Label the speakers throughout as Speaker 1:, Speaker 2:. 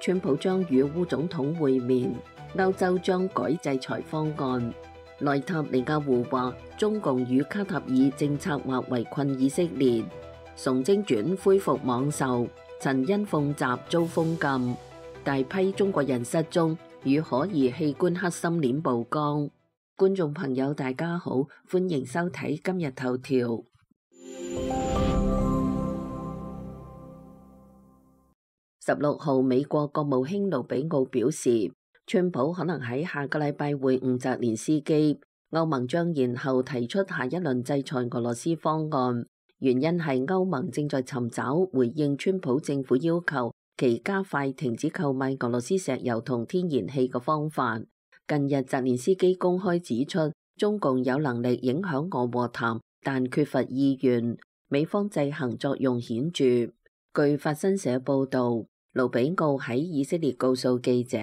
Speaker 1: 川普將與烏總統會面，歐洲將改制裁方案。內塔尼亞胡話，中共與卡塔爾政策劃圍困以色列。崇禎傳恢復網售，陳欣鳳集遭封禁。大批中國人失蹤，與可疑器官黑心鏈曝光。觀眾朋友大家好，歡迎收睇今日頭條。16號，美國國務卿盧比奧表示，川普可能喺下個禮拜會晤澤連斯基，歐盟將延後提出下一輪制裁俄羅斯方案，原因係歐盟正在尋找回應川普政府要求其加快停止購買俄羅斯石油同天然氣嘅方法。近日澤連斯基公開指出，中共有能力影響俄和談，但缺乏意願，美方制衡作用顯著。據法新社報導，盧比奧喺以色列告訴記者，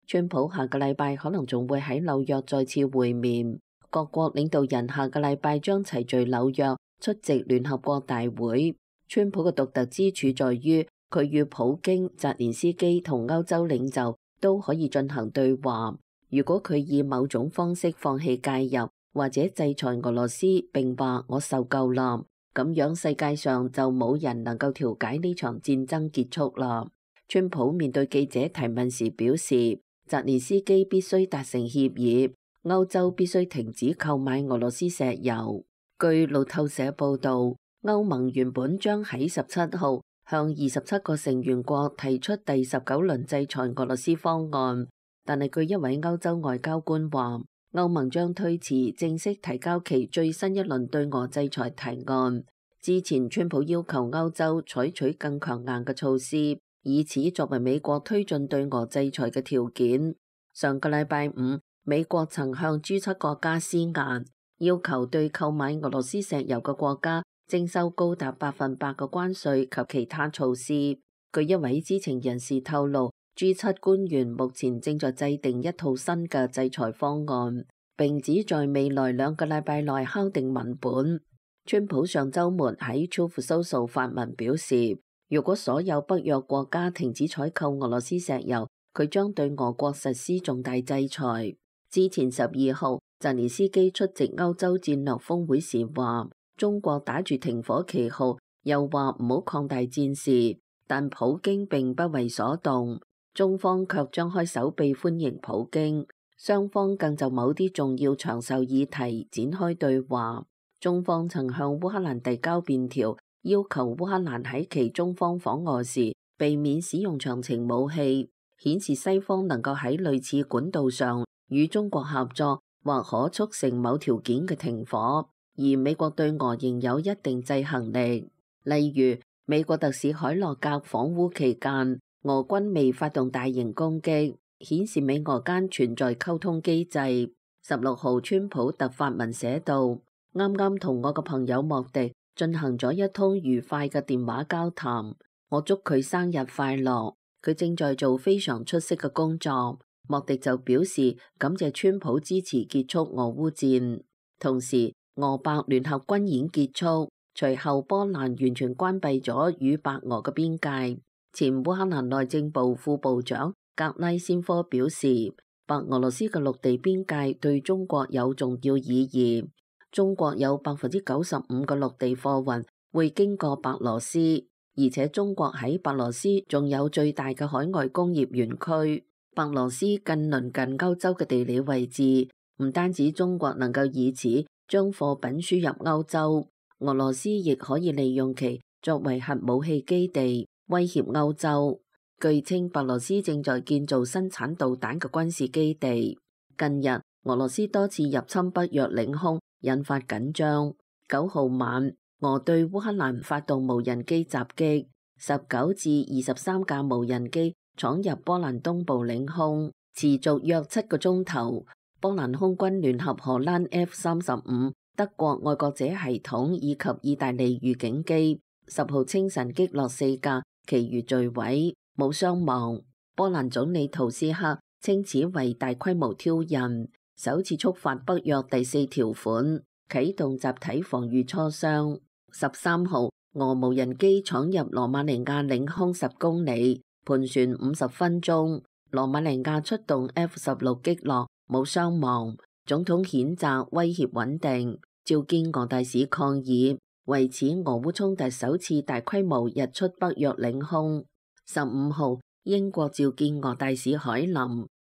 Speaker 1: 川普下個禮拜可能仲會喺紐約再次會面，各國領導人下個禮拜將齊聚紐約出席聯合國大會。川普嘅獨特之處在於，佢與普京、澤連斯基同歐洲領袖都可以進行對話。如果佢以某種方式放棄介入或者制裁俄羅斯並話我受夠啦，咁樣世界上就冇人能夠調解呢場戰爭結束啦。川普面對記者提問時表示，澤連斯基必須達成協議，歐洲必須停止購買俄羅斯石油。據路透社報導，歐盟原本將喺17號向27個成員國提出第19輪制裁俄羅斯方案，但係據一位歐洲外交官話，歐盟將推遲正式提交其最新一輪對俄制裁提案。之前川普要求歐洲採取更強硬嘅措施，以此作為美國推進對俄制裁嘅條件。上個禮拜五，美國曾向 G7 國家施壓，要求對購買俄羅斯石油嘅國家徵收高達100%嘅關稅及其他措施。據一位知情人士透露，G7 官員目前正在制定一套新嘅制裁方案，並指在未來2個禮拜內敲定文本。川普上週末喺 Truth Social 發文表示，如果所有北約國家停止採購俄羅斯石油，佢將對俄國實施重大制裁。之前12號，澤連斯基出席歐洲戰略峰會時話，中國打住停火旗號，又話唔好擴大戰事，但普京並不為所動，中方卻張開手臂歡迎普京，雙方更就某啲重要長壽議題展開對話。中方曾向烏克蘭遞交便條，要求烏克蘭喺其中方訪俄時避免使用長程武器，顯示西方能夠喺類似管道上與中國合作，或可促成某條件嘅停火。而美國對俄仍有一定制衡力，例如美國特使海洛格訪烏期間，俄軍未發動大型攻擊，顯示美俄間存在溝通機制。16號，川普特發文寫道，啱啱同我嘅朋友莫迪進行咗一通愉快嘅電話交談，我祝佢生日快樂，佢正在做非常出色嘅工作。莫迪就表示感謝川普支持結束俄烏戰。同時，俄白聯合軍演結束，隨後波蘭完全關閉咗與白俄嘅邊界。前烏克蘭內政部副部長格拉先科表示，白俄羅斯嘅陸地邊界對中國有重要意義。中國有95%嘅陸地貨運會經過白羅斯，而且中國喺白羅斯仲有最大嘅海外工業園區。白羅斯近鄰近歐洲嘅地理位置，唔單止中國能夠以此將貨品輸入歐洲，俄羅斯亦可以利用其作為核武器基地，威脅歐洲。據稱，白羅斯正在建造生產導彈嘅軍事基地。近日，俄羅斯多次入侵北約領空，引發緊張。9號晚，俄對烏克蘭發動無人機襲擊，19至23架無人機闖入波蘭東部領空，持續約7個鐘頭。波蘭空軍聯合荷蘭 F-35、德國愛國者系統以及意大利預警機10號清晨擊落4架，其餘墜毀，冇傷亡。波蘭總理圖斯克稱此為大規模挑釁，首次觸發北約第4條款，啟動集體防禦磋商。13號，俄無人機闖入羅馬尼亞領空10公里，盤旋50分鐘。羅馬尼亞出動 F-16擊落，冇傷亡。總統譴責威脅穩定，召見俄大使抗議，為此俄烏衝突首次大規模日出北約領空。15號，英國召見俄大使海林，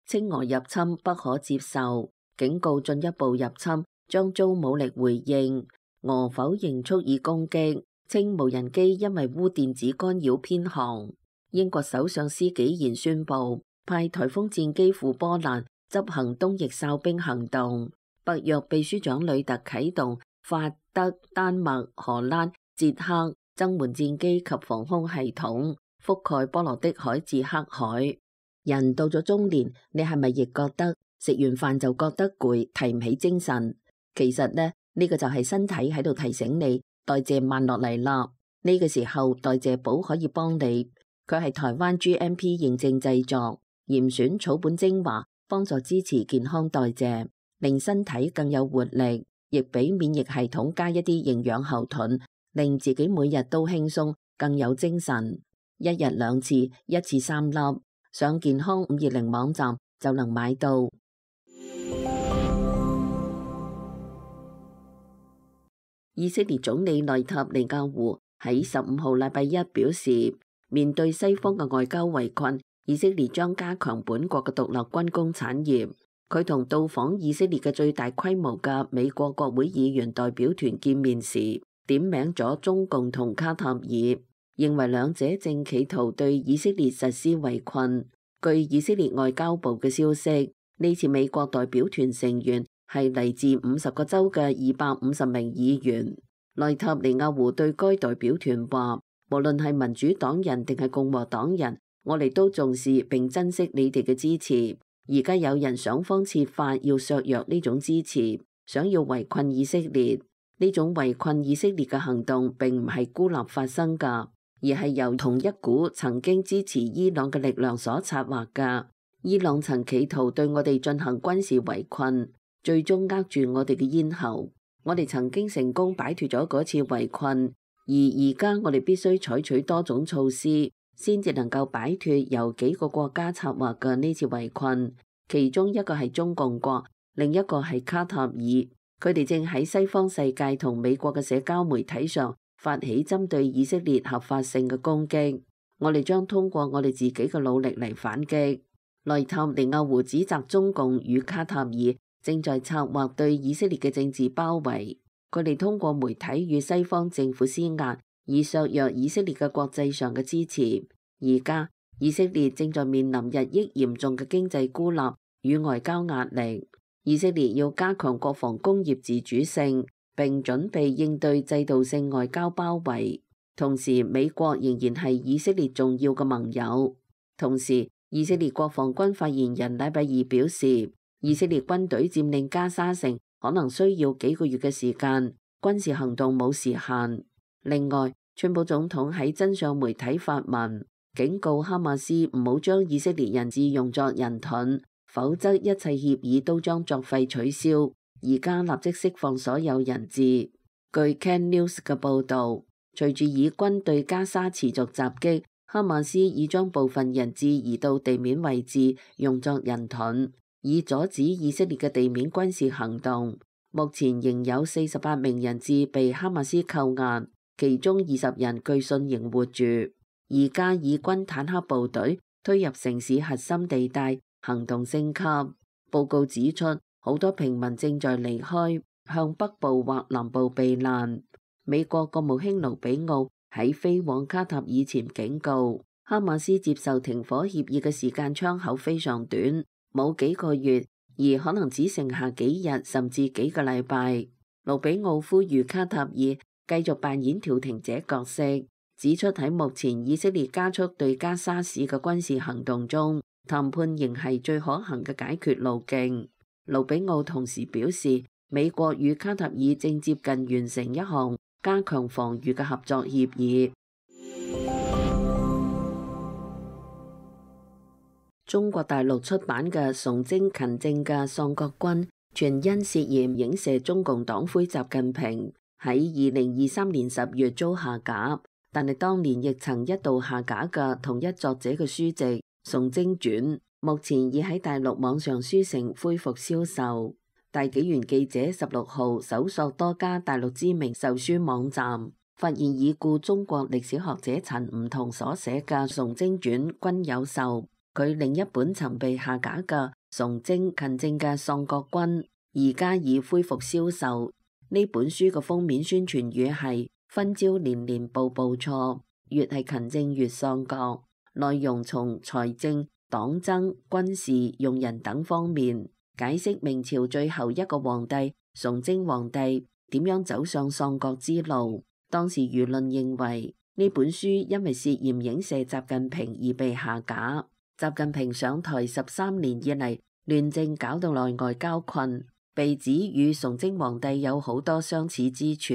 Speaker 1: 稱俄入侵不可接受，警告進一步入侵將遭武力回應。俄否認蓄意攻擊，稱無人機因為烏電子干擾偏航。英國首相施紀賢宣布派颱風戰機赴波蘭執行東翼哨兵行動。北約秘書長呂特啟動法德、丹麥、荷蘭、捷克增援戰機及防空系統，覆蓋波羅的海至黑海。人到咗中年，你係咪亦覺得食完飯就覺得攰，提唔起精神？其實呢個就係身體喺度提醒你代謝慢落嚟啦。呢個時候代謝寶可以幫你，佢係台灣 GMP 認證製作，嚴選草本精華，幫助支持健康代謝，令身體更有活力，亦俾免疫系統加一啲營養後盾，令自己每日都輕鬆，更有精神。一日2次，一次3粒，上健康520網站就能買到。以色列總理內塔尼亞胡喺15號禮拜一表示，面對西方嘅外交圍困，以色列將加強本國嘅獨立軍工產業。佢同到訪以色列嘅最大規模嘅美國國會議員代表團見面時，點名咗中共同卡塔爾，認為兩者正企圖對以色列實施圍困。據以色列外交部嘅消息，呢次美國代表團成員係嚟自50個州嘅250名議員。內塔尼亞胡對該代表團話，無論係民主黨人定係共和黨人，我哋都重視並珍惜你哋嘅支持。而家有人想方設法要削弱呢種支持，想要圍困以色列。呢種圍困以色列嘅行動並唔係孤立發生㗎，而係由同一股曾經支持伊朗嘅力量所策劃㗎。伊朗曾企圖對我哋進行軍事圍困，最終扼住我哋嘅咽喉。我哋曾經成功擺脫咗嗰次圍困，而家我哋必須採取多種措施，先至能夠擺脫由幾個國家策劃嘅呢次圍困，其中一個係中共國，另一個係卡塔爾。佢哋正喺西方世界同美國嘅社交媒體上發起針對以色列合法性嘅攻擊。我哋將通過我哋自己嘅努力嚟反擊。內塔尼亞胡指責中共與卡塔爾正在策劃對以色列嘅政治包圍，佢哋通過媒體與西方政府施壓，以削弱以色列嘅國際上嘅支持。而家以色列正在面臨日益嚴重嘅經濟孤立與外交壓力。以色列要加強國防工業自主性，並準備應對制度性外交包圍。同時，美國仍然係以色列重要嘅盟友。同時，以色列國防軍發言人禮拜二表示，以色列軍隊佔領加沙城可能需要幾個月嘅時間，軍事行動冇時限。另外，川普總統喺真相媒體發文，警告哈馬斯唔好將以色列人質用作人盾，否則一切協議都將作廢取消。而家立即釋放所有人質。據 Can News 嘅報導，隨住以軍對加沙持續襲擊，哈馬斯已將部分人質移到地面位置，用作人盾，以阻止以色列嘅地面軍事行動。目前仍有48名人質被哈馬斯扣押，其中20人據信仍活住。而家以軍坦克部隊推入城市核心地帶，行動升級。報告指出，好多平民正在離開，向北部或南部避難。美國國務卿盧比奧喺飛往卡塔爾前警告，哈馬斯接受停火協議嘅時間窗口非常短，冇幾個月，而可能只剩下幾日甚至幾個禮拜。盧比奧呼籲卡塔爾繼續扮演調停者角色，指出喺目前以色列加速對加沙市嘅軍事行動中，談判仍係最可行嘅解決路徑。盧比奧同時表示，美國與卡塔爾正接近完成一項加強防禦嘅合作協議。中國大陸出版嘅《崇禎勤政嘅喪國軍》，全因涉嫌影射中共黨魁習近平，喺2023年10月遭下架。第但係當年亦曾一度下架嘅同一作者嘅書籍《崇禎傳》，目前已喺大陸網上書城恢復銷售。大紀元記者16號搜索多家大陸知名售書網站，發現已故中國歷史學者陳梧桐所寫嘅《崇禎傳》均有售。佢另一本曾被下架嘅《崇禎勤政嘅喪國君》而家已恢復銷售。呢本書嘅封面宣傳語係分招年年步步錯，越係勤政越喪國。內容從財政、黨爭、軍事、用人等方面解釋明朝最後一個皇帝崇禎皇帝點樣走上喪國之路。當時輿論認為呢本書因為涉嫌影射習近平而被下架。習近平上台13年以嚟，亂政搞到內外交困，被指與崇禎皇帝有好多相似之處。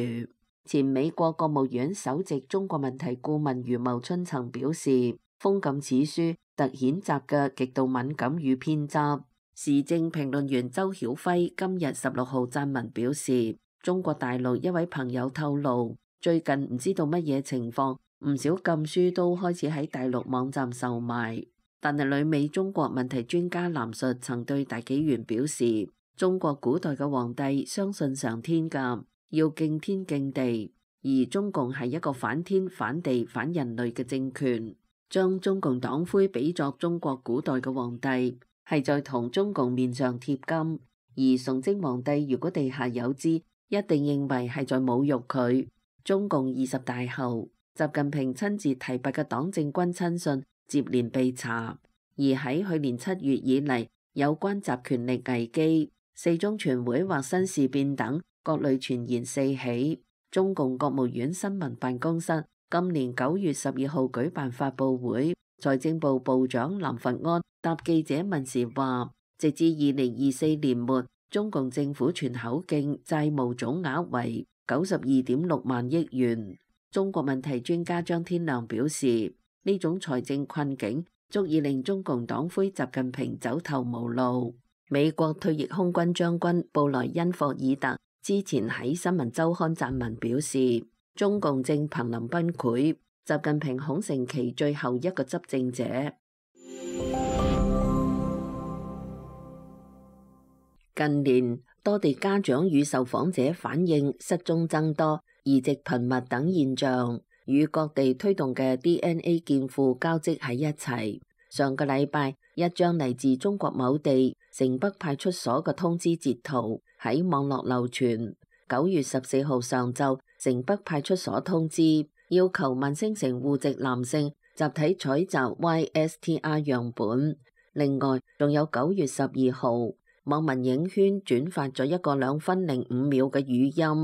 Speaker 1: 前美國國務院首席中國問題顧問余茂春曾表示，封禁此書凸顯習嘅極度敏感與偏執。時政評論員周曉輝今日16號撰文表示，中國大陸一位朋友透露，最近唔知道乜嘢情況，唔少禁書都開始喺大陸網站售賣。但係旅美中國問題專家藍述曾對大紀元表示，中國古代嘅皇帝相信上天㗎，要敬天敬地，而中共係一個反天反地反人類嘅政權，將中共黨魁比作中國古代嘅皇帝，係在同中共面上貼金。而崇禎皇帝如果地下有知，一定認為係在侮辱佢。中共20大後，習近平親自提拔嘅黨政軍親信接連被查，而喺去年7月以嚟，有關集權力危機、四中全會或新事變等各類傳言四起。中共國務院新聞辦公室今年9月12號舉辦發佈會，財政部部長林佛安答記者問時話，直至2024年末，中共政府全口徑債務總額為92.6萬億元。中國問題專家張天亮表示，呢種財政困境足以令中共黨魁習近平走投無路。美國退役空軍將軍布萊恩霍爾特之前喺新聞週刊撰文表示，中共正瀕臨崩潰，習近平恐成其最後一個執政者。近年多地家長與受訪者反映失蹤增多、移植頻密等現象，與各地推動嘅 DNA 建庫交織喺一齊。上個禮拜，一張嚟自中國某地城北派出所嘅通知截圖喺網絡流傳。9月14號上晝，城北派出所通知要求萬星城戶籍男性集體採集 YSTR 樣本。另外，仲有9月12號，網民影圈轉發咗一個2分05秒嘅語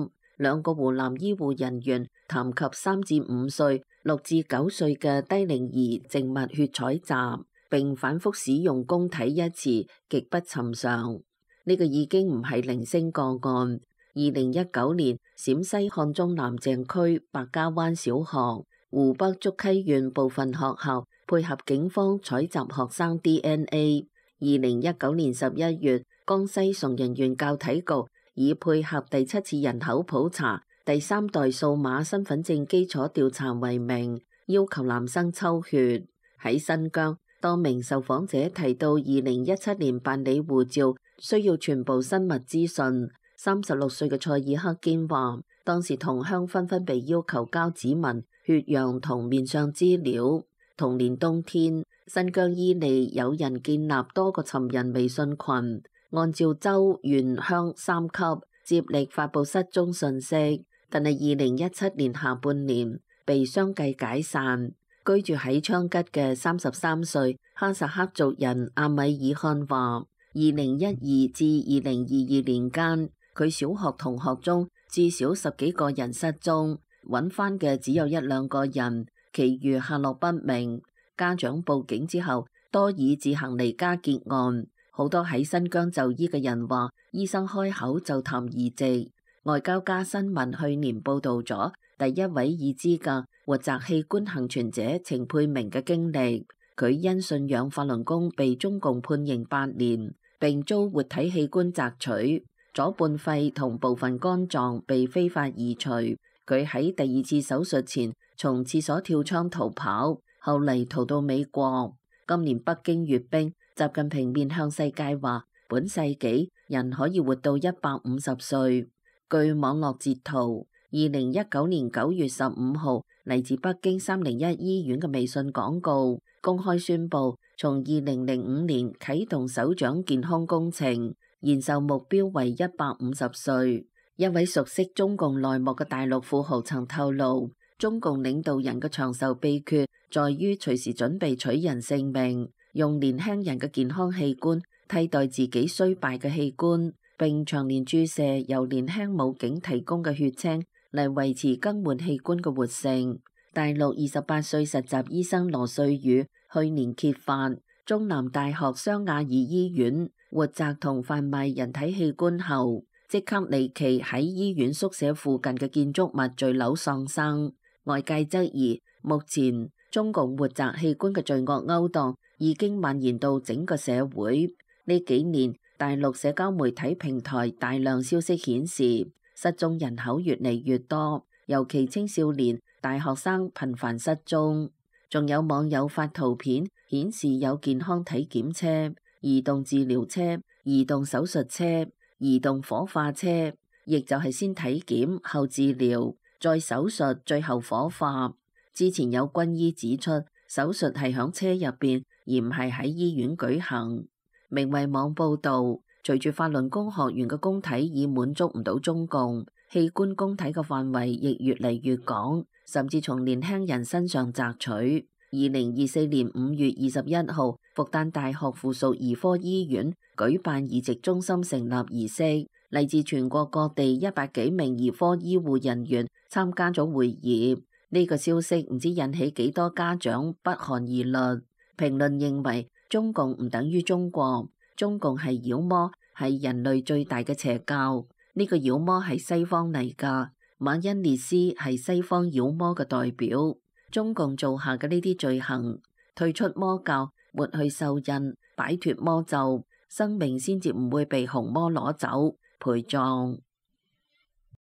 Speaker 1: 音，兩個湖南醫護人員談及3至5歲、6至9歲嘅低齡兒靜脈血採集，並反覆使用公體一詞，極不尋常。呢個已經唔係零星個案。2019年，陝西漢中南鄭區百家灣小學、湖北竹溪縣部分學校配合警方採集學生 DNA。2019年11月，江西崇仁縣教體局以配合第7次人口普查、第3代數碼身份證基礎調查為名，要求男生抽血。喺新疆，多名受訪者提到2017年辦理護照需要全部生物資訊。36歲嘅塞爾克堅話，當時同鄉紛紛被要求交指紋、血樣同面相資料。同年冬天，新疆伊利有人建立多個尋人微信群，按照州、縣、鄉3級接力發布失蹤信息，但係2017年下半年被相繼解散。居住喺昌吉嘅33歲哈薩克族人阿米爾汗話，2012至2022年間，佢小學同學中至少10幾個人失蹤，揾翻嘅只有1、2個人，其餘下落不明。家長報警之後，多以自行離家結案。好多喺新疆就醫嘅人話，醫生開口就談移植。外交家新聞去年報導咗第一位已知嘅活摘器官幸存者程佩明嘅經歷。佢因信仰法輪功被中共判刑8年，並遭活體器官摘取，左半肺同部分肝臟被非法移除。佢喺第2次手術前從廁所跳窗逃跑，後嚟逃到美國。今年北京閱兵，習近平面向世界話：本世紀人可以活到150歲。據網絡截圖，2019年9月15號，嚟自北京301醫院嘅微信廣告公開宣布，從2005年啟動首長健康工程，延壽目標為150歲。一位熟悉中共內幕嘅大陸富豪曾透露，中共領導人嘅長壽秘訣在於隨時準備取人性命，用年輕人嘅健康器官替代自己衰敗嘅器官，並長年注射由年輕武警提供嘅血清嚟維持更換器官嘅活性。大陸28歲實習醫生羅瑞宇去年揭發，中南大學湘雅爾醫院活摘同販賣人體器官後，即刻離奇喺醫院宿舍附近嘅建築物墜樓喪生。外界質疑，目前中共活摘器官嘅罪惡勾當已經蔓延到整個社會。呢幾年，大陸社交媒體平台大量消息顯示，失蹤人口越嚟越多，尤其青少年、大學生頻繁失蹤。仲有網友發圖片顯示有健康體檢車、移動治療車、移動手術車、移動火化車，亦就係先體檢後治療，再手術，最後火化。之前有軍醫指出，手術係響車入邊，而唔係喺醫院舉行。明慧網報道，隨住法輪功學員嘅供體已滿足唔到中共，器官供體嘅範圍亦越嚟越廣，甚至從年輕人身上摘取。2024年5月21號，復旦大學附屬兒科醫院舉辦移植中心成立儀式，嚟自全國各地100幾名兒科醫護人員參加咗會議。呢個消息唔知引起幾多家長不寒而慄。評論認為，中共唔等於中國，中共係妖魔，係人類最大嘅邪教。呢個妖魔係西方嚟㗎，馬恩列斯係西方妖魔嘅代表。中共做下嘅呢啲罪行，退出魔教，抹去獸印，擺脫魔咒，生命先至唔會被紅魔攞走陪葬。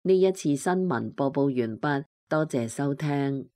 Speaker 1: 呢一次新聞播報完畢，多謝收聽。